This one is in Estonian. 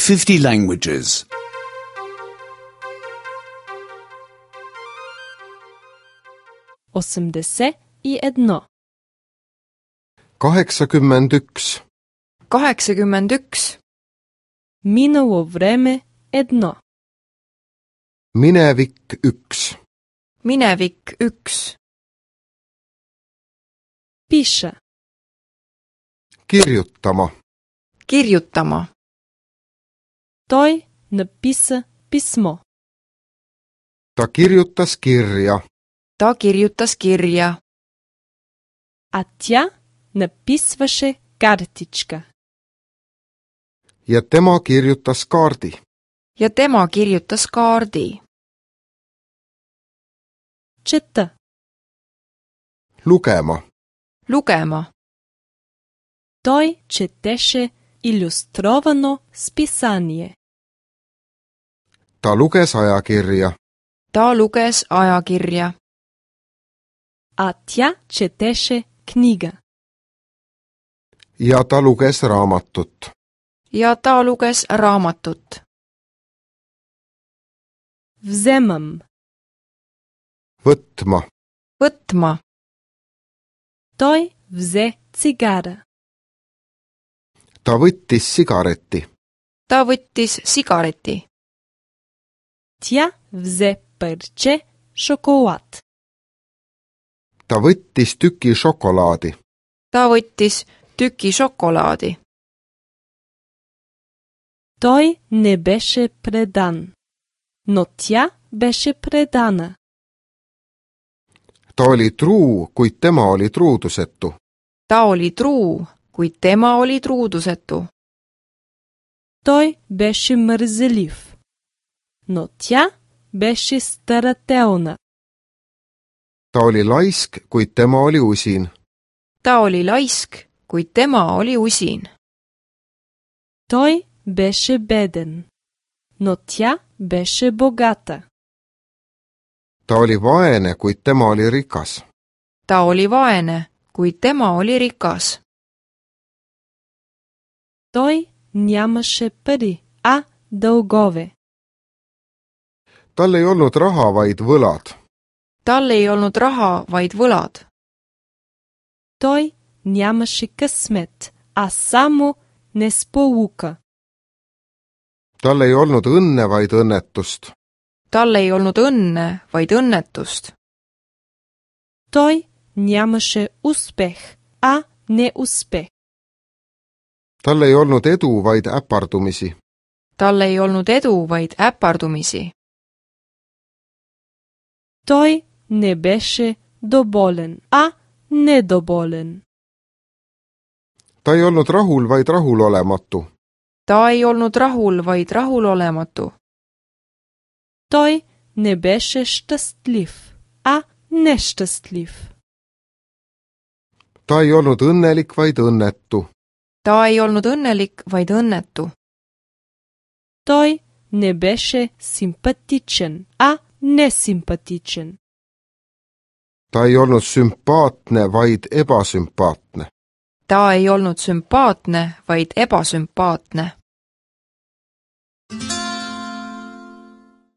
50 languages. 81. 81. 81. Минало време 1. Minevik 1. Minevik 1. Пиша. Kirjutama. Kirjutama. Той написа писмо. Ta kirjutas kirja. Ta kirjutas kirja. А тя написваше картичка. Ja tema kirjutas kaardi. Ja tema kirjutas kaardi. Чета. Lugema. Lugema. Той четеше илюстровано списание. Ta luges ajakirja. Ta luges ajakirja. А тя четеше книга. Ja ta luges raamatut. Ja ta luges raamatut. Вземам. Võtma. Võtma. Той взе цигара. Ta võttis sigareti. Ta võttis sigareti. Тя взе парче шоколад. Ta võttis tüki šokolaadi. Ta võttis tüki šokolaadi. Той не беше предан, но тя беше предана. Ta oli truu, kuid tema oli truudusetu. Ta oli truu, kuid tema oli truudusetu. Той беше мързелив, но тя беше старателна. Ta oli laisk, kuid tema oli usin. Ta oli laisk, kuid tema oli usin. Той беше беден, но тя беше богата. Ta oli vaene, kuid tema oli rikas. Ta oli vaene, kuid tema oli rikas. Той нямаше пари, а дългове. Tal ei olnud raha, vaid võlad. Tal ei olnud raha, vaid võlad. Той нямаше късмет, а само несполука. Tal ei olnud õnne, vaid õnnetust. Tal ei olnud õnne, vaid õnnetust. Той нямаше успех, а неуспех. Tal ei olnud edu, vaid äpardumisi. Tal ei olnud edu, vaid äpardumisi. Той не беше доволен, а недоволен. Ta ei olnud rahul, vaid rahulolematu. Ta ei olnud rahul, vaid rahulolematu. Той не беше щастлив, а нещастлив. Ta ei olnud õnnelik, vaid õnnetu. Ta ei olnud õnnelik, vaid õnnetu. Той не беше симпатичен, а несимпатичен. Ta ei olnud sümpaatne, vaid ebasümpaatne. Ta ei olnud sümpaatne, vaid ebasümpaatne.